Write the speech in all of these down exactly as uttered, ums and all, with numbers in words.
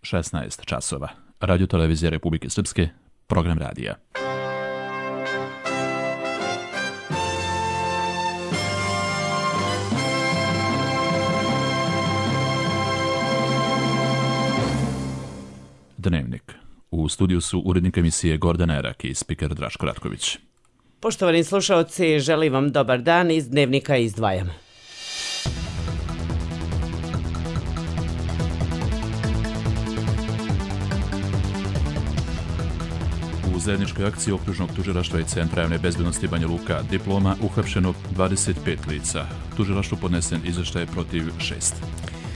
šesnaest časova. Radio televizija Republike Srpske, program radija. Dnevnik. U studiju su urednik emisije Gordana Erak i spiker Draško Ratković. Poštovani slušaoci, želim vam dobar dan, iz Dnevnika izdvajam. U zajedničkoj akciji Okružnog tužilaštva i Centra javne bezbednosti Banja Luka diploma uhapšeno dvadeset pet lica. Tužilaštvu podnesen izveštaj protiv šest.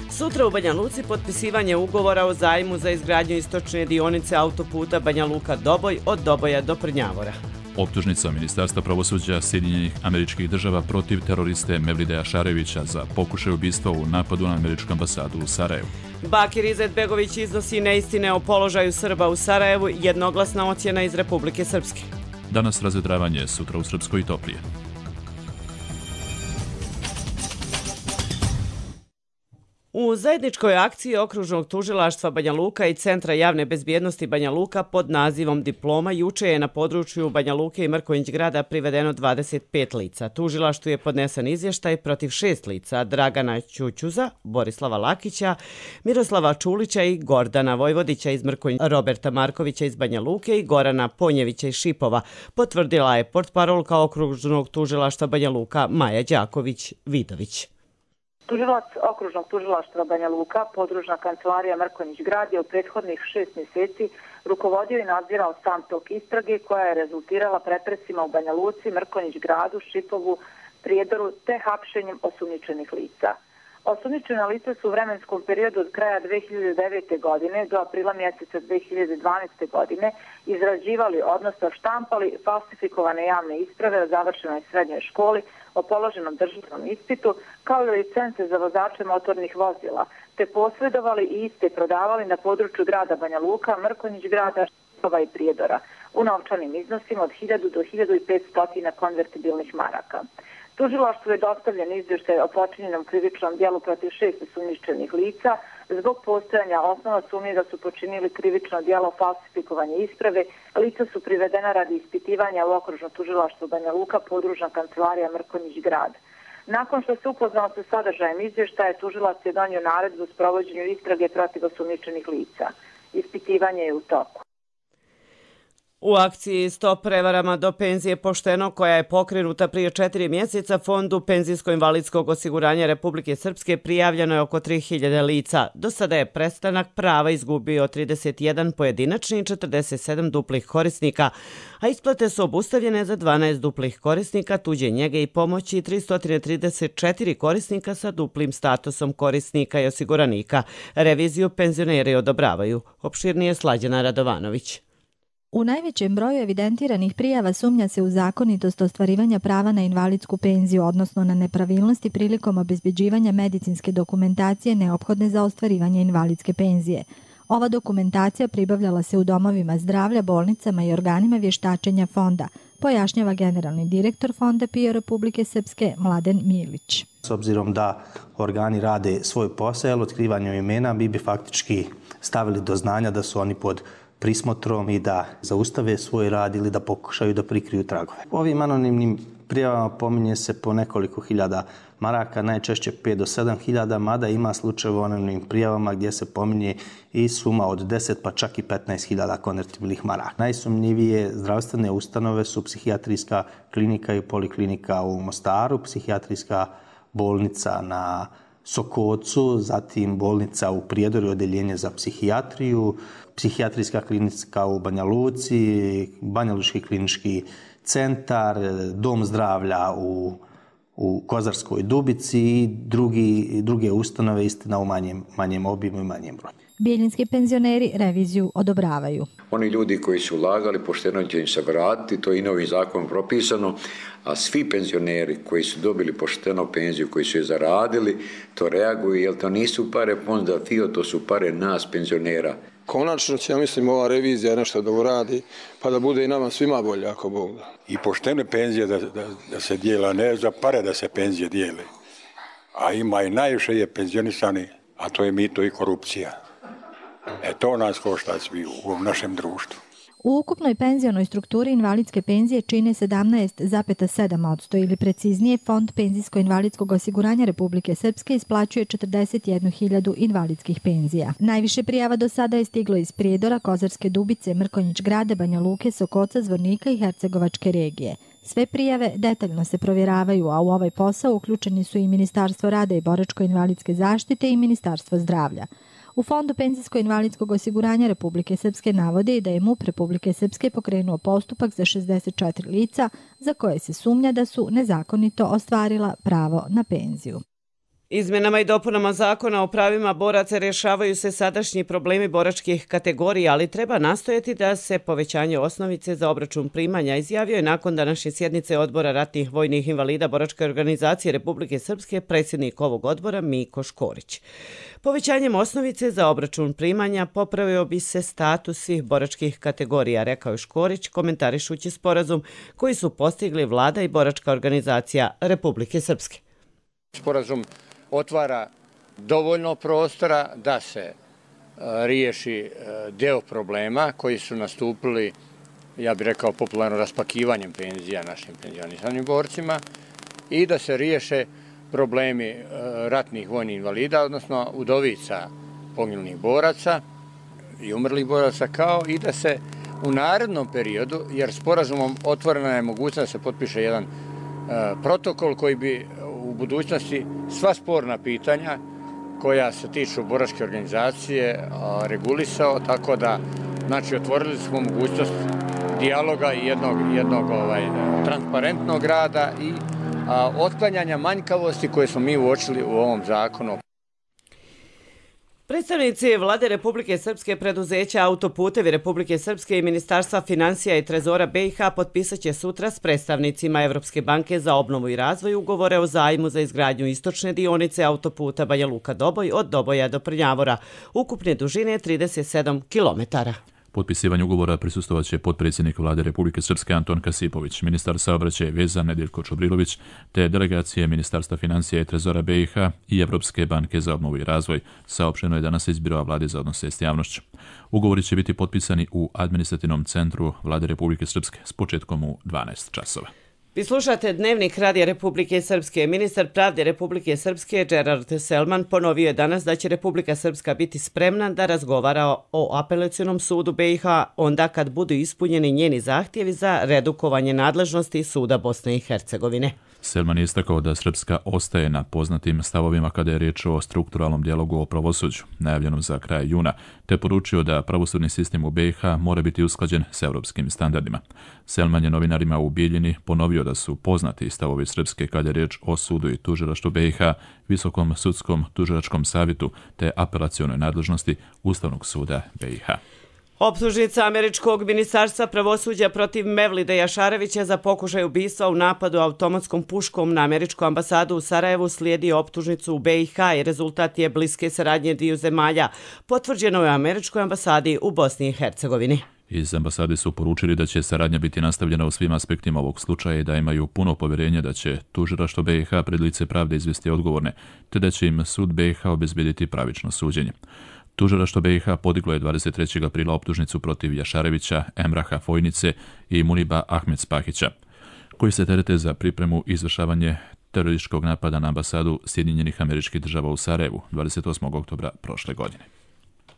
Sutra u Banja Luci potpisivanje ugovora o zajmu za izgradnju istočne dionice autoputa Banja Luka-Doboj od Doboja do Prnjavora. Optužnica Ministarstva pravosuđa Sjedinjenih Američkih Država protiv teroriste Mevlideja Šarevića za pokušaj ubistva u napadu na američku ambasadu u Sarajevu. Bakir Izetbegović iznosi neistine o položaju Srba u Sarajevu, jednoglasna ocjena iz Republike Srpske. Danas razvedravanje, sutra u Srpskoj i toplije. U zajedničkoj akciji Okružnog tužilaštva Banja Luka i Centra javne bezbjednosti Banja Luka pod nazivom Diploma juče je na području Banja Luke i Mrkonjić grada privedeno dvadeset pet lica. Tužilaštvu je podnesen izvještaj protiv šest lica: Dragana Ćućuza, Borislava Lakića, Miroslava Čulića i Gordana Vojvodića iz Mrkonjića, Roberta Markovića iz Banja Luke i Gorana Ponjevića iz Šipova, potvrdila je portparolka Okružnog tužilaštva Banja Luka Maja Đaković-Vidović. Tužilac Okružnog tužilaštva Banja Luka, podružna kancelarija Mrkonjić grad, je u prethodnih šest mjeseci rukovodio i nadzirao sam tok istrage koja je rezultirala pretresima u Banja Luci, Mrkonjić gradu, Šipovu, Prijedoru te hapšenjem osumnjičenih lica. Osumnjičena lica su u vremenskom periodu od kraja dve hiljade devete. godine do aprila mjeseca dve hiljade dvanaeste. godine izrađivali, odnosno štampali falsifikovane javne isprave o završenoj srednjoj školi, o položenom državnom ispitu, kao i licence za vozače motornih vozila, te posredovali i iste prodavali na području grada Banja Luka, Mrkonjić grada, Šipova i Prijedora u novčanim iznosima od hiljadu do hiljadu petsto konvertibilnih maraka. Tužilaštvu je dostavljen izvještaj o počinjenom krivičnom djelu protiv šest osumnjičenih lica zbog postojanja osnova sumnje da su počinili krivično djelo falsifikovanje isprave. Lica su privedena radi ispitivanja u Okružno tužilaštvo Banja Luka, podružna kancelarija Mrkonjić grad. Nakon što se upoznao sa sadržajem izvještaja, tužilac je donio naredbu s provođenju istrage protiv osumnjičenih lica. Ispitivanje je u toku. U akciji Stop prevarama do penzije pošteno, koja je pokrenuta prije četiri mjeseca, Fondu penzijsko-invalidskog osiguranja Republike Srpske prijavljeno je oko tri hiljade lica. Do sada je prestanak prava izgubio trideset jedan pojedinačni i četrdeset sedam duplih korisnika, a isplate su obustavljene za dvanaest duplih korisnika tuđe njege i pomoći i tristo trideset četiri korisnika sa duplim statusom korisnika i osiguranika. Reviziju penzioneri odobravaju. Opširnije Slađana Radovanović. U najvećem broju evidentiranih prijava sumnja se u zakonitost ostvarivanja prava na invalidsku penziju, odnosno na nepravilnosti prilikom obezbeđivanja medicinske dokumentacije neophodne za ostvarivanje invalidske penzije. Ova dokumentacija pribavljala se u domovima zdravlja, bolnicama i organima vještačenja fonda, pojašnjava generalni direktor Fonda P I O Republike Srpske Mladen Milić. S obzirom da organi rade svoj posao, otkrivanjem imena, mi bi faktički stavili do znanja da su oni pod prismotrom i da zaustave svoj rad ili da pokušaju da prikriju tragove. Ovim anonimnim prijavama pominje se po nekoliko hiljada maraka, najčešće pet do sedam hiljada, mada ima slučajeva u anonimnim prijavama gdje se pominje i suma od deset pa čak i petnaest hiljada konvertibilnih maraka. Najsumnjivije zdravstvene ustanove su psihijatrijska klinika i poliklinika u Mostaru, psihijatrijska bolnica na Sokocu, zatim bolnica u Prijedoru, odeljenje za psihijatriju, psihijatrijska klinika u Banja Luci, Banja Lučki klinički centar, dom zdravlja u, u Kozarskoj Dubici i drugi, druge ustanove, istina u manjem, manjem obimu i manjem broju. Bijeljinski penzioneri reviziju odobravaju. Oni ljudi koji su ulagali, pošteno će im se vratiti, to je i novim zakonom propisano, a svi penzioneri koji su dobili pošteno penziju, koji su je zaradili, to reaguju, jer to nisu pare Fonda F I O, to su pare nas penzionera. Konačno će, ja mislim, ova revizija nešto da uradi, pa da bude i nama svima bolje, ako Bog da. I poštene penzije da, da, da se dijela, ne za pare da se penzije dijele. A ima i najviše je penzionisani, a to je mito i korupcija. E to nas košta svi u ovom našem društvu. U ukupnoj penzionoj strukturi invalidske penzije čine sedamnaest zarez sedam posto ili preciznije Fond penzijsko-invalidskog osiguranja Republike Srpske isplaćuje četrdeset jednu hiljadu invalidskih penzija. Najviše prijava do sada je stiglo iz Prijedora, Kozarske Dubice, Mrkonjić Grada, Banja Luke, Sokoca, Zvornika i Hercegovačke regije. Sve prijave detaljno se provjeravaju, a u ovaj posao uključeni su i Ministarstvo rada i boračko-invalidske zaštite i Ministarstvo zdravlja. U Fondu penzijsko-invalidskog osiguranja Republike Srpske navode i da je MUP Republike Srpske pokrenuo postupak za šezdeset četiri lica za koje se sumnja da su nezakonito ostvarila pravo na penziju. Izmjenama i dopunama zakona o pravima boraca rješavaju se sadašnji problemi boračkih kategorija, ali treba nastojati da se povećanje osnovice za obračun primanja, izjavio je nakon današnje sjednice Odbora ratnih vojnih invalida Boračke organizacije Republike Srpske predsjednik ovog odbora Miko Škorić. Povećanjem osnovice za obračun primanja popravio bi se status svih boračkih kategorija, rekao je Škorić, komentarišući sporazum koji su postigli Vlada i Boračka organizacija Republike Srpske. Sporazum otvara dovoljno prostora da se riješi deo problema koji su nastupili, ja bih rekao, popularno raspakivanjem penzija našim penzionisanim borcima i da se riješe problemi ratnih vojnih invalida, odnosno udovica poginulih boraca i umrlih boraca, kao i da se u narednom periodu, jer sporazumom otvorena je mogućnost da se potpiše jedan protokol koji bi u budućnosti sva sporna pitanja koja se tiču boračke organizacije regulisao, tako da znači otvorili smo mogućnost dijaloga i jednog, jednog ovaj, transparentnog rada i a, otklanjanja manjkavosti koje smo mi uočili u ovom zakonu. Predstavnici Vlade Republike Srpske, preduzeća Autoputevi Republike Srpske i Ministarstva financija i Trezora B i H potpisat će sutra s predstavnicima Evropske banke za obnovu i razvoj ugovore o zajmu za izgradnju istočne dionice autoputa Banja Luka-Doboj od Doboja do Prnjavora, ukupne dužine trideset sedam kilometara. Potpisivanju ugovora prisustvovat će potpredsjednik Vlade Republike Srpske Anton Kasipović, ministar saobraćaja i veza Nedeljko Čobrilović, te delegacije Ministarstva financija i Trezora B i H i Evropske banke za obnovu i razvoj, saopšteno je danas iz Biroa Vlade za odnose s javnošću. Ugovori će biti potpisani u administrativnom centru Vlade Republike Srpske s početkom u dvanaest časova. Vi slušate Dnevnik Radija Republike Srpske. Ministar pravde Republike Srpske Gerard Selman ponovio je danas da će Republika Srpska biti spremna da razgovara o apelacionom sudu B i H onda kad budu ispunjeni njeni zahtjevi za redukovanje nadležnosti suda Bosne i Hercegovine. Selman je istakao da Srpska ostaje na poznatim stavovima kada je riječ o strukturalnom dijalogu o pravosuđu, najavljenom za kraj juna, te poručio da pravosudni sistem u B i H mora biti usklađen s europskim standardima. Selman je novinarima u Bijeljini ponovio da su poznati stavovi Srpske kada je riječ o sudu i tužilaštvu B i H, Visokom sudskom tužilačkom savjetu te apelacionoj nadležnosti Ustavnog suda B i H. Optužnica američkog ministarstva pravosuđa protiv Mevlide Jašarevića za pokušaj ubistva u napadu automatskom puškom na američku ambasadu u Sarajevu slijedi optužnicu u B i H i rezultat je bliske saradnje dviju zemalja. Potvrđeno je u američkoj ambasadi u Bosni i Hercegovini. Iz ambasade su poručili da će saradnja biti nastavljena u svim aspektima ovog slučaja i da imaju puno povjerenje da će tužilaštvo B i H pred lice pravde izvesti odgovorne, te da će im sud B i H obezbediti pravično suđenje. Tužilaštvo B i H podiglo je dvadeset trećeg aprila optužnicu protiv Jašarevića, Emraha Fojnice i Muniba Ahmed Spahića, koji se terete za pripremu i izvršavanje terorističkog napada na ambasadu Sjedinjenih Američkih Država u Sarajevu dvadeset osmog oktobra prošle godine.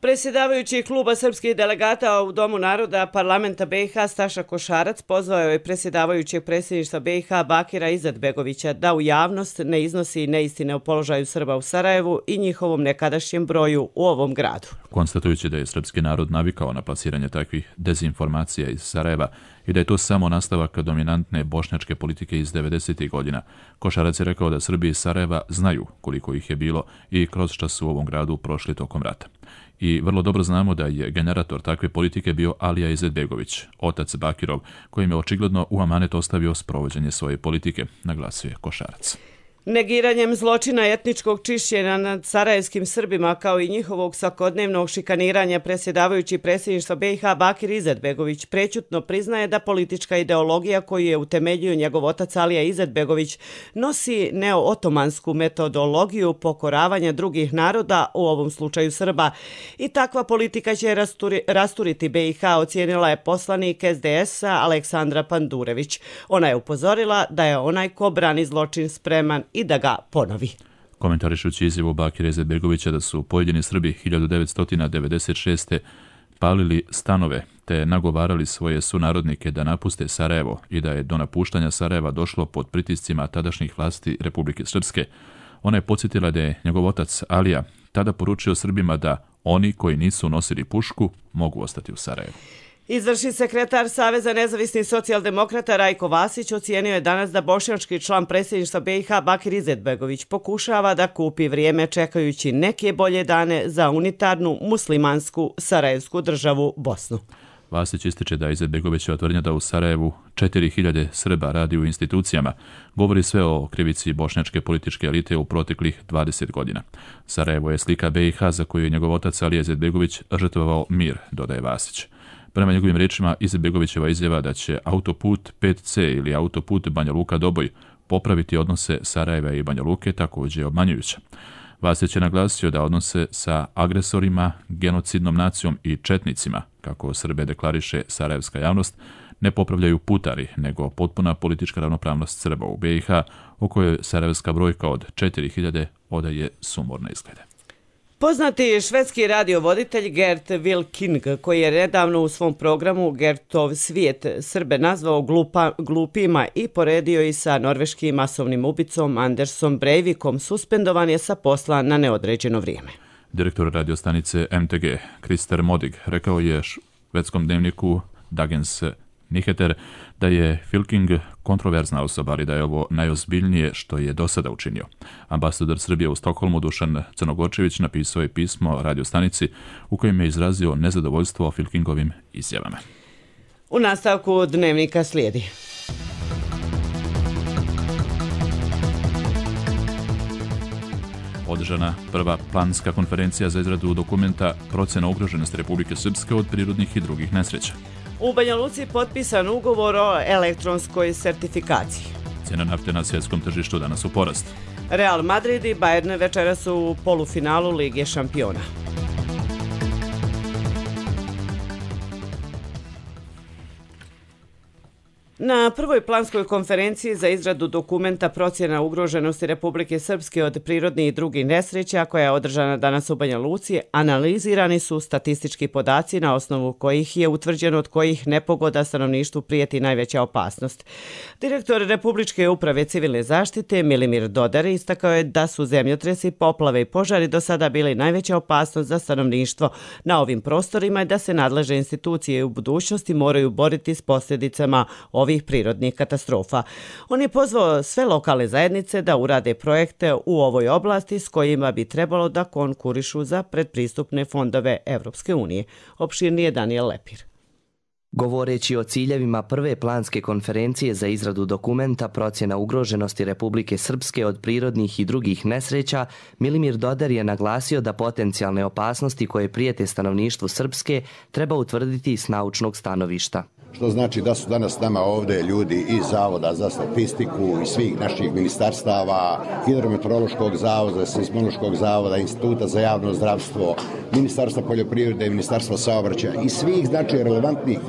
Predsjedavajući kluba srpskih delegata u Domu naroda parlamenta B i H Staša Košarac pozvao je predsjedavajućeg predsjedništva B i H Bakira Izetbegovića da u javnost ne iznosi neistine o položaju Srba u Sarajevu i njihovom nekadašnjem broju u ovom gradu. Konstatujući da je srpski narod navikao na plasiranje takvih dezinformacija iz Sarajeva i da je to samo nastavak dominantne bošnjačke politike iz devedesetih godina, Košarac je rekao da Srbi iz Sarajeva znaju koliko ih je bilo i kroz šta su u ovom gradu prošli tokom rata. I vrlo dobro znamo da je generator takve politike bio Alija Izetbegović, otac Bakirov, kojim je očigledno u amanet ostavio sprovođenje svoje politike, naglasio je Košarac. Negiranjem zločina etničkog čišćenja nad sarajevskim Srbima kao i njihovog svakodnevnog šikaniranja predsjedavajući predsjedništva B i H Bakir Izetbegović prećutno priznaje da politička ideologija koju je utemeljio njegov otac Alija Izetbegović nosi neo-otomansku metodologiju pokoravanja drugih naroda, u ovom slučaju Srba. I takva politika će rasturi, rasturiti B i H, ocijenila je poslanik S D S-a Aleksandra Pandurević. Ona je upozorila da je onaj ko brani zločin spreman i da ga ponovi. Komentarišući izjavu Bakira Izetbegovića da su pojedini Srbi hiljadu devetsto devedeset šeste. palili stanove te nagovarali svoje sunarodnike da napuste Sarajevo i da je do napuštanja Sarajeva došlo pod pritiscima tadašnjih vlasti Republike Srpske, ona je podsjetila da je njegov otac Alija tada poručio Srbima da oni koji nisu nosili pušku mogu ostati u Sarajevu. Izvršni sekretar Saveza nezavisnih socijaldemokrata Rajko Vasić ocijenio je danas da bošnjački član predsjedništva B i H Bakir Izetbegović pokušava da kupi vrijeme čekajući neke bolje dane za unitarnu muslimansku sarajevsku državu Bosnu. Vasić ističe da Izetbegovićeva tvrdnja da u Sarajevu četiri hiljade Srba radi u institucijama govori sve o krivici bošnjačke političke elite u proteklih dvadeset godina. Sarajevo je slika B i H za koju je njegov otac Alija Izetbegović žrtvovao mir, dodaje Vasić. Prema njegovim riječima, Izetbegovićeva izjava da će autoput pet ce ili autoput Banja Luka-Doboj popraviti odnose Sarajeva i Banja Luke također je obmanjujuća. Vasić je naglasio da odnose sa agresorima, genocidnom nacijom i četnicima, kako Srbe deklariše sarajevska javnost, ne popravljaju putari, nego potpuna politička ravnopravnost Srba u B i H, u kojoj sarajevska brojka od četiri hiljade odaje sumorne izglede. Poznati švedski radiovoditelj Gert Wilking, koji je nedavno u svom programu Gertov svijet Srbe nazvao glupa, glupima i poredio i sa norveškim masovnim ubicom Andersom Breivikom, suspendovan je sa posla na neodređeno vrijeme. Direktor radiostanice M T G, Krister Modig, rekao je švedskom dnevniku Dagens Nyheter da je Wilking kontroverzna osoba, ali da je ovo najozbiljnije što je do sada učinio. Ambasador Srbije u Stokholmu Dušan Crnogorčević napisao je pismo radiostanici u kojem je izrazio nezadovoljstvo Wilkingovim izjavama. U nastavku dnevnika slijedi. Održana prva planska konferencija za izradu dokumenta procjena ugroženosti Republike Srpske od prirodnih i drugih nesreća. U Banja Luci potpisan ugovor o elektronskoj sertifikaciji. Cijena nafte na svjetskom tržištu danas u porastu. Real Madrid i Bayern večeras su u polufinalu Lige šampiona. Na prvoj planskoj konferenciji za izradu dokumenta procjena ugroženosti Republike Srpske od prirodnih i drugih nesreća, koja je održana danas u Banja Luci, analizirani su statistički podaci na osnovu kojih je utvrđeno od kojih nepogoda stanovništvu prijeti najveća opasnost. Direktor Republičke uprave civilne zaštite Milimir Dodar istakao je da su zemljotresi, poplave i požari do sada bili najveća opasnost za stanovništvo na ovim prostorima i da se nadležne institucije u budućnosti moraju boriti s posljedicama ovih prirodnih katastrofa. On je pozvao sve lokalne zajednice da urade projekte u ovoj oblasti s kojima bi trebalo da konkurišu za predpristupne fondove Evropske unije. Opširnije Daniel Lepir. Govoreći o ciljevima prve planske konferencije za izradu dokumenta procjena ugroženosti Republike Srpske od prirodnih i drugih nesreća, Milimir Dodar je naglasio da potencijalne opasnosti koje prijete stanovništvu Srpske treba utvrditi s naučnog stanovišta. Što znači da su danas nama ovdje ljudi iz Zavoda za statistiku i svih naših ministarstava, Hidrometeorološkog zavoda, Seizmološkog zavoda, Instituta za javno zdravstvo, Ministarstva poljoprivrede, Ministarstva saobraćaja i svih znači relevantnih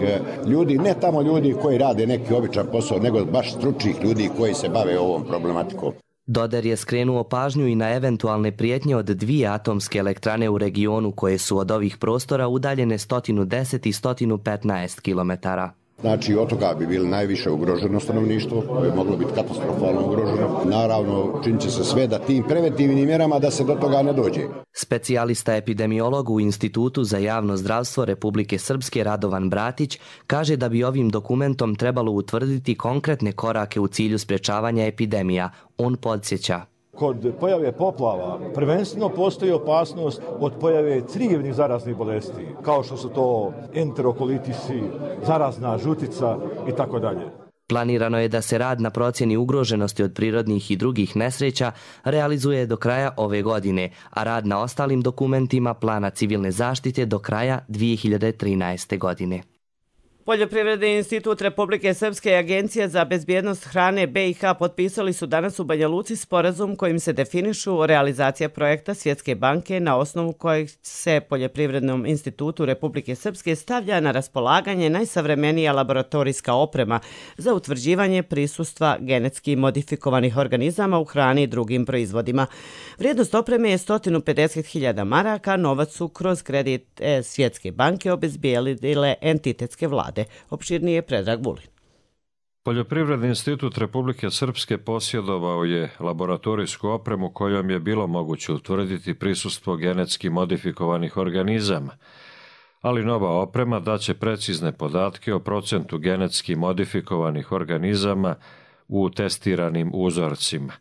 ljudi, ne tamo ljudi koji rade neki običan posao, nego baš stručnih ljudi koji se bave ovom problematikom. Dodar je skrenuo pažnju i na eventualne prijetnje od dvije atomske elektrane u regionu koje su od ovih prostora udaljene sto deset i sto petnaest kilometara. Znači, od toga bi bilo najviše ugroženo stanovništvo, koje bi moglo biti katastrofalno ugroženo. Naravno, činit će se sve da tim preventivnim mjerama da se do toga ne dođe. Specijalista epidemiolog u Institutu za javno zdravstvo Republike Srpske Radovan Bratić kaže da bi ovim dokumentom trebalo utvrditi konkretne korake u cilju sprečavanja epidemija. On podsjeća. Kod pojave poplava prvenstveno postoji opasnost od pojave crijevnih zaraznih bolesti, kao što su to enterokolitisi, zarazna žutica i tako dalje. Planirano je da se rad na procjeni ugroženosti od prirodnih i drugih nesreća realizuje do kraja ove godine, a rad na ostalim dokumentima plana civilne zaštite do kraja dvije hiljade trinaeste. godine. Poljoprivredni institut Republike Srpske i Agencija za bezbjednost hrane B i H potpisali su danas u Banja Luci sporazum kojim se definišu realizacija projekta Svjetske banke na osnovu kojeg se Poljoprivrednom institutu Republike Srpske stavlja na raspolaganje najsavremenija laboratorijska oprema za utvrđivanje prisustva genetski modifikovanih organizama u hrani i drugim proizvodima. Vrijednost opreme je sto pedeset hiljada maraka, novac su kroz kredit Svjetske banke obezbijedile entitetske vlade. Opširnije Predrag Vulin. Poljoprivredni institut Republike Srpske posjedovao je laboratorijsku opremu kojom je bilo moguće utvrditi prisustvo genetski modifikovanih organizama, ali nova oprema daće precizne podatke o procentu genetski modifikovanih organizama u testiranim uzorcima.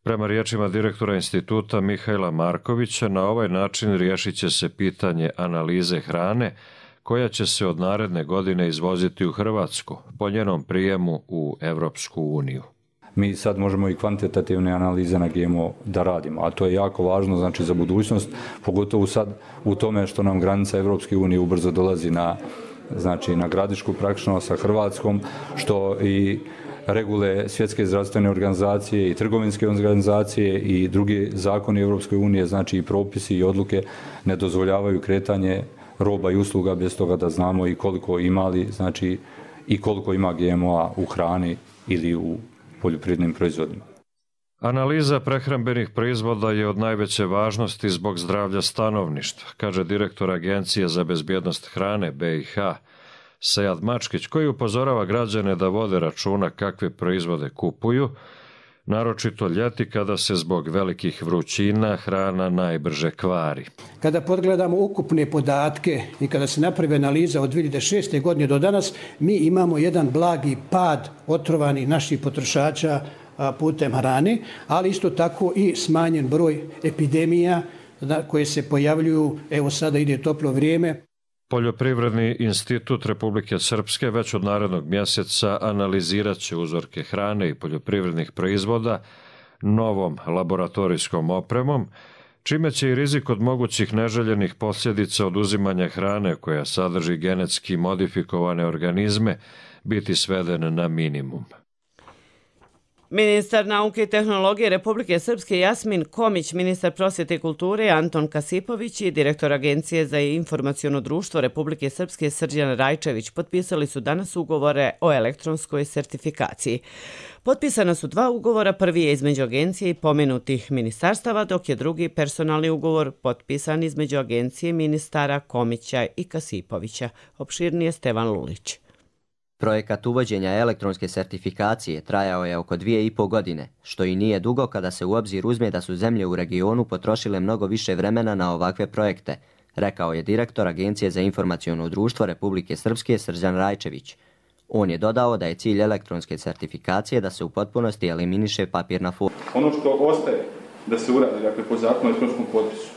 Prema riječima direktora instituta Mihajla Markovića, na ovaj način riješit će se pitanje analize hrane koja će se od naredne godine izvoziti u Hrvatsku po njenom prijemu u Evropsku uniju. Mi sad možemo i kvantitativne analize na G M O da radimo, a to je jako važno znači za budućnost, pogotovo sad u tome što nam granica Evropske unije ubrzo dolazi na, znači, na graničku praktično sa Hrvatskom, što i regule Svjetske zdravstvene organizacije i trgovinske organizacije i drugi zakoni Evropske unije, znači i propisi i odluke ne dozvoljavaju kretanje roba i usluga bez toga da znamo i koliko imali, znači i koliko ima G M O-a u hrani ili u poljoprivrednim proizvodima. Analiza prehrambenih proizvoda je od najveće važnosti zbog zdravlja stanovništva, kaže direktor Agencije za bezbjednost hrane B i H Sead Mačkić, koji upozorava građane da vode računa kakve proizvode kupuju, naročito ljeti kada se zbog velikih vrućina hrana najbrže kvari. Kada pogledamo ukupne podatke i kada se napravi analiza od dvije hiljade šeste. godine do danas, mi imamo jedan blagi pad otrovanih naših potrošača putem hrane, ali isto tako i smanjen broj epidemija koje se pojavljuju, evo sada ide toplo vrijeme. Poljoprivredni institut Republike Srpske već od narednog mjeseca analizirat će uzorke hrane i poljoprivrednih proizvoda novom laboratorijskom opremom, čime će i rizik od mogućih neželjenih posljedica oduzimanja hrane koja sadrži genetski modifikovane organizme biti sveden na minimum. Ministar nauke i tehnologije Republike Srpske Jasmin Komić, ministar prosvjete i kulture Anton Kasipović i direktor Agencije za informaciono društvo Republike Srpske Srđan Rajčević potpisali su danas ugovore o elektronskoj sertifikaciji. Potpisana su dva ugovora, prvi je između agencije i pomenutih ministarstava, dok je drugi personalni ugovor potpisan između agencije ministara Komića i Kasipovića. Opširnije Stevan Lulić. Projekat uvođenja elektronske sertifikacije trajao je oko dvije i po godine, što i nije dugo kada se u obzir uzme da su zemlje u regionu potrošile mnogo više vremena na ovakve projekte, rekao je direktor Agencije za informaciono društvo Republike Srpske Srđan Rajčević. On je dodao da je cilj elektronske sertifikacije da se u potpunosti eliminiše papirna forma. Ono što ostaje da se uradi, dakle, po zakonu o elektronskom potpisu,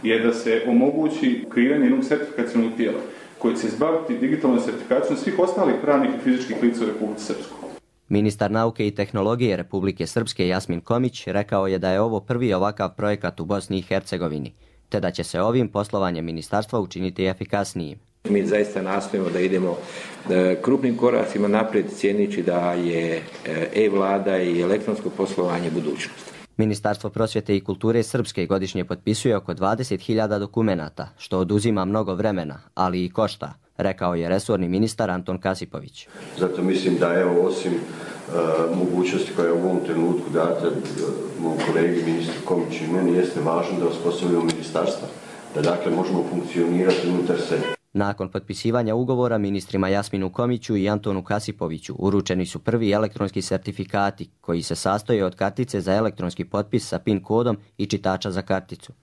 je da se omogući kreiranje jednog sertifikacionog tijela koji će se izbaviti digitalnom sertifikacijom svih ostalih pravnih i fizičkih lica u Republici Srpskoj. Ministar nauke i tehnologije Republike Srpske Jasmin Komić rekao je da je ovo prvi ovakav projekat u Bosni i Hercegovini, te da će se ovim poslovanjem ministarstva učiniti efikasnijim. Mi zaista nastojimo da idemo krupnim koracima naprijed, cijeneći da je e-vlada i elektronsko poslovanje budućnost. Ministarstvo prosvjete i kulture Srpske godišnje potpisuje oko dvadeset hiljada dokumenata, što oduzima mnogo vremena, ali i košta, rekao je resorni ministar Anton Kasipović. Zato mislim da evo, osim uh, mogućnosti koja je u ovom trenutku data uh, mom kolegi ministru Komiću i meni, jeste važno da osposobimo ministarstva, da dakle možemo funkcionirati unutar sebe. Nakon potpisivanja ugovora ministrima Jasminu Komiću i Antonu Kasipoviću uručeni su prvi elektronski sertifikati koji se sastoje od kartice za elektronski potpis sa PIN kodom i čitača za karticu.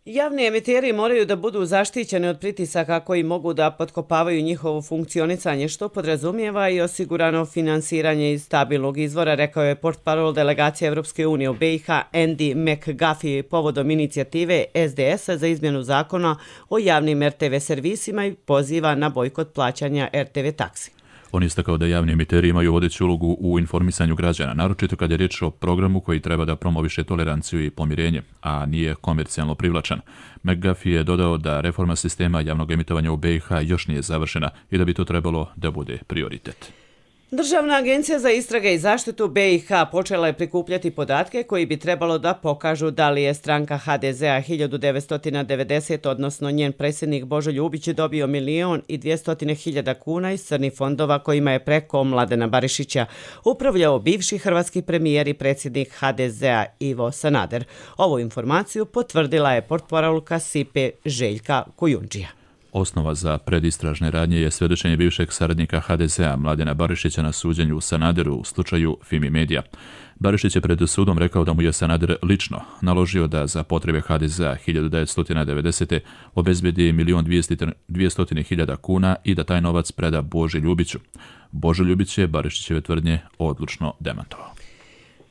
Javni emiteri moraju da budu zaštićeni od pritisaka koji mogu da potkopavaju njihovo funkcionisanje, što podrazumijeva i osigurano finansiranje iz stabilnog izvora, rekao je portparol delegacije Evropske unije u B i H Andy McGuffey povodom inicijative S D S-a za izmjenu zakona o javnim R T V servisima i poziva na bojkot plaćanja R T V taksi. On je istakao da javni emiteri imaju vodeću ulogu u informisanju građana, naročito kad je riječ o programu koji treba da promoviše toleranciju i pomirenje, a nije komercijalno privlačan. McGuffey je dodao da reforma sistema javnog emitovanja u B i H još nije završena i da bi to trebalo da bude prioritet. Državna agencija za istrage i zaštitu B i H počela je prikupljati podatke koji bi trebalo da pokažu da li je stranka H D Z A hiljadu devetsto devedeset, odnosno njen predsjednik Božo Ljubić dobio milion i dvjesto hiljada kuna iz crnih fondova kojima je preko Mladena Barišića upravljao bivši hrvatski premijer i predsjednik H D Z A Ivo Sanader. Ovu informaciju potvrdila je portparolka S I P E Željka Kujundžija. Osnova za predistražne radnje je svjedočenje bivšeg saradnika H D Z A Mladena Barišića na suđenju u Sanaderu u slučaju Fimi Media. Barišić je pred sudom rekao da mu je Sanader lično naložio da za potrebe H D Z A hiljadu devetsto devedesete. obezbedi milion dvjesto hiljada kuna i da taj novac preda Boži Ljubiću. Božo Ljubić je Barišićeve tvrdnje odlučno demantovao.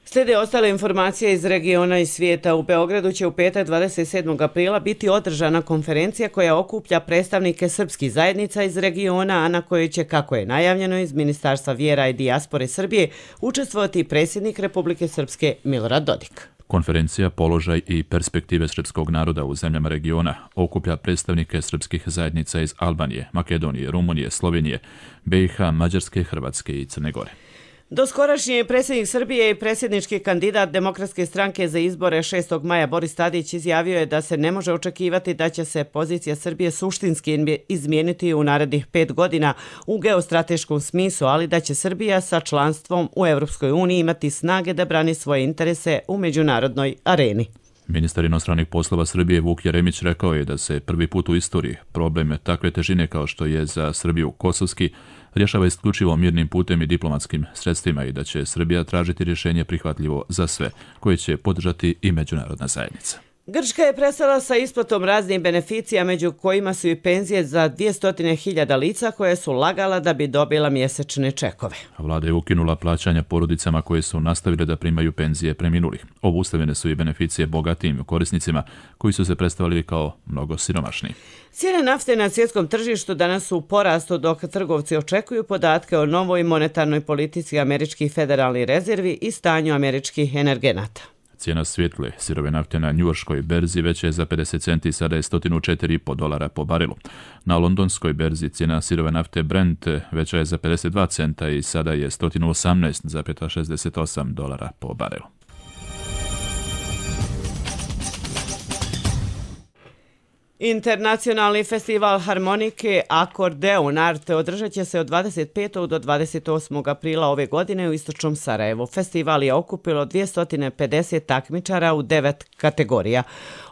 Slijede ostale informacije iz regiona i svijeta. U Beogradu će u petak dvadeset sedmog aprila biti održana konferencija koja okuplja predstavnike srpskih zajednica iz regiona, a na kojoj će, kako je najavljeno iz Ministarstva vjera i dijaspore Srbije, učestvovati predsjednik Republike Srpske Milorad Dodik. Konferencija Položaj i perspektive srpskog naroda u zemljama regiona okuplja predstavnike srpskih zajednica iz Albanije, Makedonije, Rumunije, Slovenije, B i H, Mađarske, Hrvatske i Crne Gore. Doskorašnji je predsjednik Srbije i predsjednički kandidat Demokratske stranke za izbore šestog maja Boris Tadić izjavio je da se ne može očekivati da će se pozicija Srbije suštinski izmijeniti u narednih pet godina u geostrateškom smislu, ali da će Srbija sa članstvom u Europskoj uniji imati snage da brani svoje interese u međunarodnoj areni. Ministar inostranih poslova Srbije Vuk Jeremić rekao je da se prvi put u istoriji problem takve težine kao što je za Srbiju kosovski rješava isključivo mirnim putem i diplomatskim sredstvima i da će Srbija tražiti rješenje prihvatljivo za sve, koje će podržati i međunarodna zajednica. Grčka je prestala sa isplatom raznih beneficija, među kojima su i penzije za dvjesto hiljada lica koje su lagala da bi dobila mjesečne čekove. Vlada je ukinula plaćanja porodicama koje su nastavile da primaju penzije preminulih. Obustavljene su i beneficije bogatijim korisnicima koji su se predstavili kao mnogo siromašniji. Cijene nafte na svjetskom tržištu danas su u porastu dok trgovci očekuju podatke o novoj monetarnoj politici američkih federalnih rezervi i stanju američkih energenata. Cijena svjetle sirove nafte na njujorškoj berzi veća je za pedeset centi, sada je sto četiri i po dolara po barelu. Na londonskoj berzi cijena sirove nafte Brent veća je za pedeset dva centa i sada je sto osamnaest zarez šezdeset osam dolara po barelu. Internacionalni festival harmonike Akordeon Art održat će se od dvadeset petog do dvadeset osmog aprila ove godine u istočnom Sarajevu. Festival je okupilo dvjesto pedeset takmičara u devet kategorija.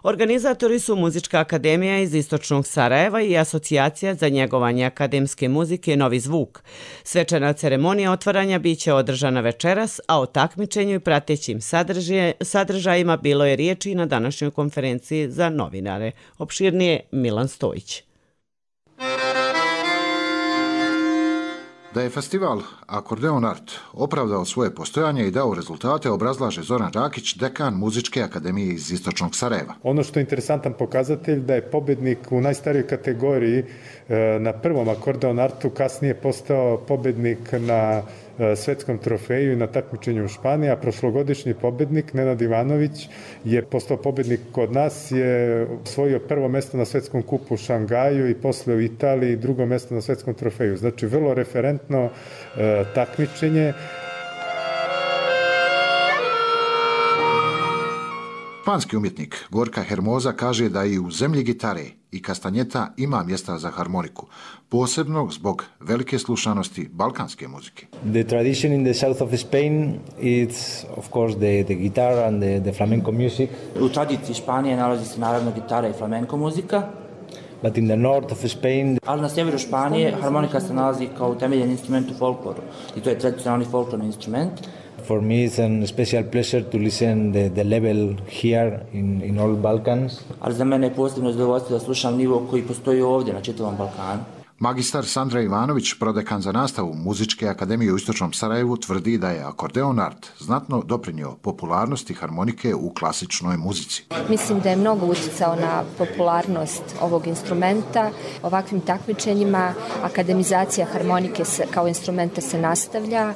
Organizatori su Muzička akademija iz istočnog Sarajeva i Asocijacija za njegovanje akademske muzike Novi zvuk. Svečana ceremonija otvaranja biće održana večeras, a o takmičenju i pratećim sadržajima bilo je riječi na današnjoj konferenciji za novinare. Opširnije Milan Stojić. Da je festival Akordeon Art opravdao svoje postojanje i dao rezultate, obrazlaže Zoran Rakić, dekan Muzičke akademije iz istočnog Sarajeva. Ono što je interesantan pokazatelj da je pobednik u najstarijoj kategoriji na prvom Akordeon Artu kasnije postao pobednik na svetskom trofeju i na takmičenju u Španiji, a prošlogodišnji pobednik Nenad Ivanović je postao pobednik kod nas, je osvojio prvo mjesto na svetskom kupu u Šangaju i posle u Italiji drugo mjesto na svetskom trofeju. Znači vrlo referentno e, takmičenje. Španski umjetnik Gorka Hermoza kaže da i u zemlji gitare i kastanjeta ima mjesta za harmoniku, posebno zbog velike slušanosti balkanske muzike. The tradition in the south of Spain is of course the the guitar and the, the flamenco music. U tradiciji Španije nalazi se naravno gitara i flamenco muzika. But in the north of Spain, ali na sjeveru Španije harmonika se nalazi kao utemeljen instrument u folkloru i to je tradicionalni folklorni instrument. For me it's a special pleasure to listen the the level here in in all Balkans. Ali za mene je posebno zadovoljstvo da slušam nivo koji postoji ovdje na čitavom Balkanu. Magistar Sandra Ivanović, prodekan za nastavu Muzičke akademije u Istočnom Sarajevu, tvrdi da je akordeon art znatno doprinio popularnosti harmonike u klasičnoj muzici. Mislim da je mnogo utjecao na popularnost ovog instrumenta. Ovakvim takmičenjima akademizacija harmonike kao instrumenta se nastavlja.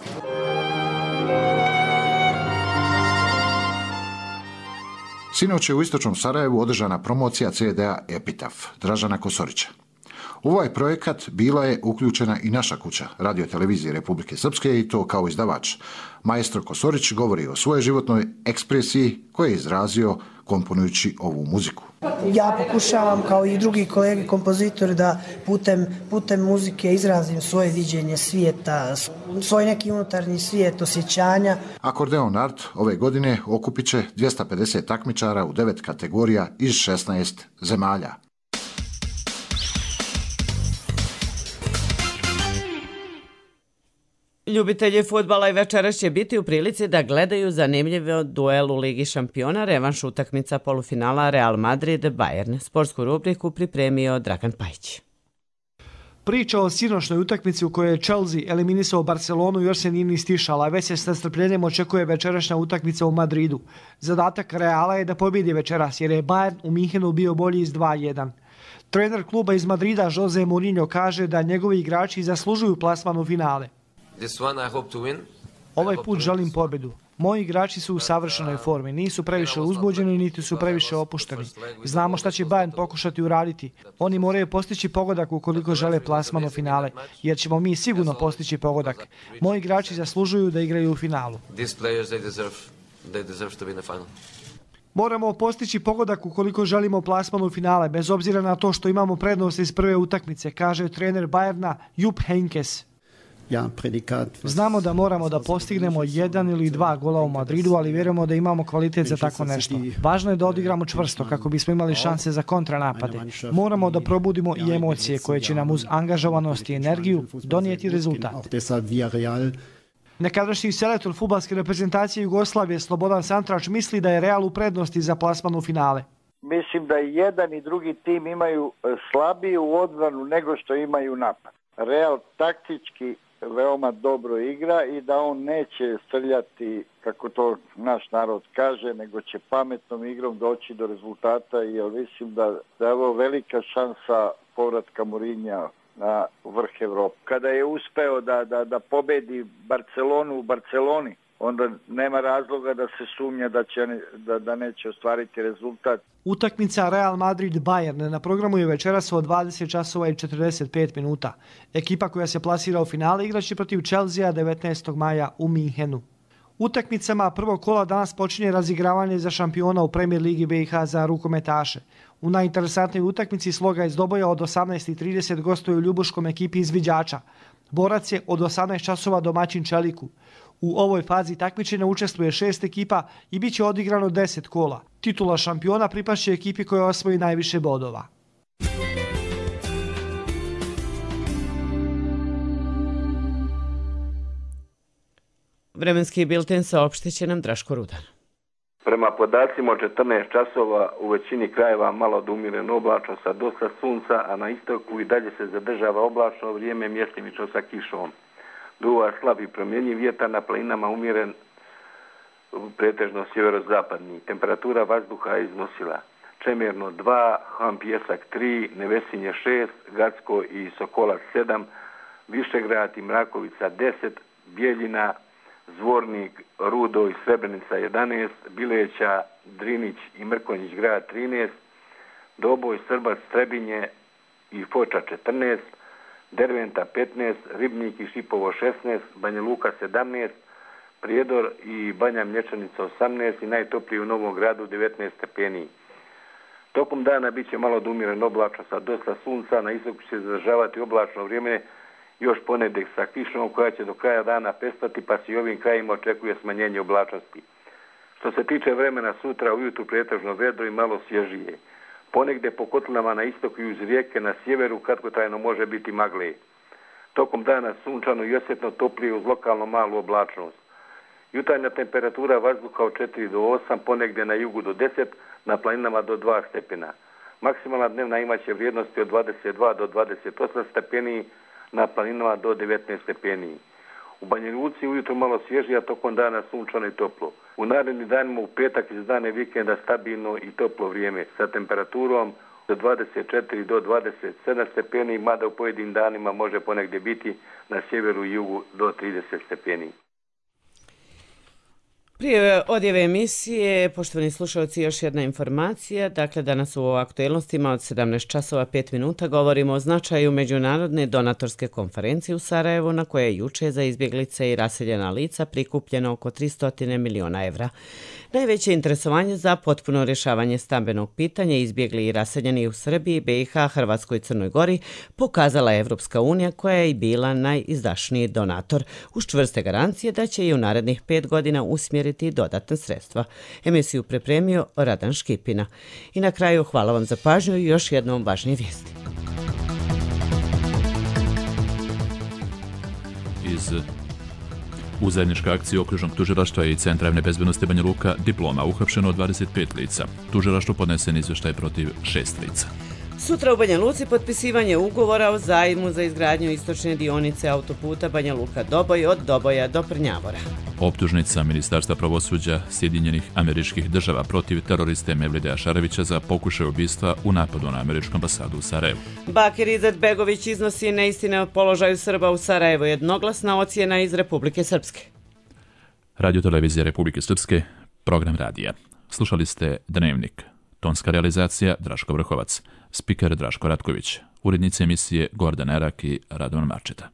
Sinoć je u Istočnom Sarajevu održana promocija ce de a Epitaf Dražana Kosorića. U ovaj projekat bila je uključena i naša kuća, Radio televizije Republike Srpske, i to kao izdavač. Maestro Kosorić govori o svojoj životnoj ekspresiji koju je izrazio komponujući ovu muziku. Ja pokušavam, kao i drugi kolege kompozitori, da putem, putem muzike izrazim svoje viđenje svijeta, svoj neki unutarnji svijet osjećanja. Akordeon art ove godine okupit će dvjesto pedeset takmičara u devet kategorija iz šesnaest zemalja. Ljubitelji fudbala i večeras će biti u prilici da gledaju zanimljiv duel u Ligi šampiona, revanš utakmica polufinala Real Madrid-Bayern. Sportsku rubriku pripremio Dragan Pajić. Priča o sinošnjoj utakmici u kojoj je Chelsea eliminisao Barcelonu još se nije ni stišala, već se s nestrpljenjem očekuje večerašnja utakmica u Madridu. Zadatak Reala je da pobjedi večeras, jer je Bayern u Minhenu bio bolji iz dva jedan. Trener kluba iz Madrida Jose Mourinho kaže da njegovi igrači zaslužuju plasman u finale. Ovaj put želim pobjedu. Moji igrači su u savršenoj formi, nisu previše uzbuđeni niti su previše opušteni. Znamo šta će Bayern pokušati uraditi. Oni moraju postići pogodak ukoliko žele plasman u finale, jer ćemo mi sigurno postići pogodak. Moji igrači zaslužuju da igraju u finalu. Moramo postići pogodak ukoliko želimo plasman u finale, bez obzira na to što imamo prednost iz prve utakmice, kaže trener Bayerna Jupp Heynckes. Znamo da moramo da postignemo jedan ili dva gola u Madridu, ali vjerujemo da imamo kvalitet za tako nešto. Važno je da odigramo čvrsto kako bismo imali šanse za kontranapade. Moramo da probudimo i emocije koje će nam uz angažovanost i energiju donijeti rezultat. Nekadašnji selektor fudbalske reprezentacije Jugoslavije Slobodan Santrač misli da je Real u prednosti za plasman u finale. Mislim da i jedan i drugi tim imaju slabiju odbranu nego što imaju napad. Real taktički veoma dobro igra i da on neće srljati, kako to naš narod kaže, nego će pametnom igrom doći do rezultata, jer mislim da, da je ovo velika šansa povratka Mourinha na vrh Evrope. Kada je uspeo da, da, da pobedi Barcelonu u Barceloni, onda nema razloga da se sumnja da, će, da, da neće ostvariti rezultat. Utakmica Real Madrid-Bayern na programu je večeras od dvadeset časova i četrdeset pet minuta. Ekipa koja se plasira u finale igraće protiv Chelsea devetnaestog maja u Minhenu. Utakmicama prvog kola danas počinje razigravanje za šampiona u Premier Ligi B i H za rukometaše. U najinteresantnijoj utakmici sloga iz Doboja od osamnaest i trideset gostuju u ljubuškom ekipi izviđača. Borac je od osamnaest časova domaćin Čeliku. U ovoj fazi takmičenja učestvuje šest ekipa i bit će odigrano deset kola. Titula šampiona pripašće ekipi koja osvoji najviše bodova. Vremenski bilten saopštit će nam Draško Rudan. Prema podacima od četrnaest časova u većini krajeva malo da umireno oblačno sa dosta sunca, a na istoku i dalje se zadržava oblačno vrijeme mjestimično sa kišom. Duva slab i promjenjiv vjetar, na planinama umjeren pretežno sjeverozapadni. Temperatura vazduha je iznosila Čemerno dva, Ham Pjesak tri, Nevesinje šest, Gacko i Sokolac sedam, Višegrad i Mrakovica deset, Bijeljina, Zvornik, Rudo i Srebrenica jedanaest, Bileća, Drinić i Mrkonjić grad trinaest, Doboj, Srbac, Trebinje i Foča četrnaest, Derventa petnaest, Ribnik i Šipovo šesnaest, Banja Luka sedamnaest, Prijedor i Banja Mlječanica osamnaest i najtopliji u Novom Gradu devetnaest stepeni. Tokom dana bit će malo da umjeren oblačno sa dosta sunca, na istoku će se zadržavati oblačno vrijeme, još ponedjeljak sa kišom koja će do kraja dana pestati, pa se i ovim krajima očekuje smanjenje oblačnosti. Što se tiče vremena sutra, ujutru pretežno vedro i malo svježije. Ponegdje po kotlinama na istoku i uz rijeke na sjeveru kratkotrajno može biti magle. Tokom dana sunčano i osjetno toplije uz lokalno malu oblačnost. Jutarnja temperatura vazduha od četiri do osam, ponegdje na jugu do deset, na planinama do dva stepena. Maksimalna dnevna imaće vrijednosti od dvadeset dva do dvadeset osam stepeni, na planinama do devetnaest stepeni. U Banja Luci ujutro malo svježije, a tokom dana sunčano i toplo. U narednim danima u petak iz dane vikenda stabilno i toplo vrijeme sa temperaturom od dvadeset četiri do dvadeset sedam stepeni, mada u pojedinim danima može ponegdje biti na sjeveru i jugu do trideset stepeni. Prije odjeve emisije, poštovani slušalci, još jedna informacija. Dakle, danas u aktuelnostima od sedamnaest časova pet minuta govorimo o značaju međunarodne donatorske konferencije u Sarajevu, na koje je juče za izbjeglice i raseljena lica prikupljeno oko tristo miliona evra. Najveće interesovanje za potpuno rješavanje stambenog pitanja izbjegli i raseljeni u Srbiji, B i H, Hrvatskoj i Crnoj Gori pokazala je Evropska unija, koja je i bila najizdašniji donator, uz čvrste garancije da će i u narednih pet godina usmjeriti dodatne sredstva. Emisiju pripremio Radan Škipina. I na kraju hvala vam za pažnju i još jednom važnije vijesti. Iz U zajedničkoj akciji okružnog tužilaštva i Centra javne bezbednosti Banja Luka diploma uhapšeno dvadeset pet lica. Tužilaštvu podnesen izvještaj protiv šest lica. Sutra u Banja Luci potpisivanje ugovora o zajmu za izgradnju istočne dionice autoputa Banja Luka-Doboj od Doboja do Prnjavora. Optužnica Ministarstva pravosuđa Sjedinjenih Američkih Država protiv teroriste Mevlide Ašarevića za pokušaj ubistva u napadu na američku ambasadu u Sarajevu. Bakir Izetbegović iznosi neistine o položaju Srba u Sarajevu, jednoglasna ocjena iz Republike Srpske. Radio Televizija Republike Srpske, program radija. Slušali ste Dnevnik. Tonska realizacija Draško Vrhovac. Spiker Draško Ratković. Urednici emisije Gordan Erak i Radovan Marčeta.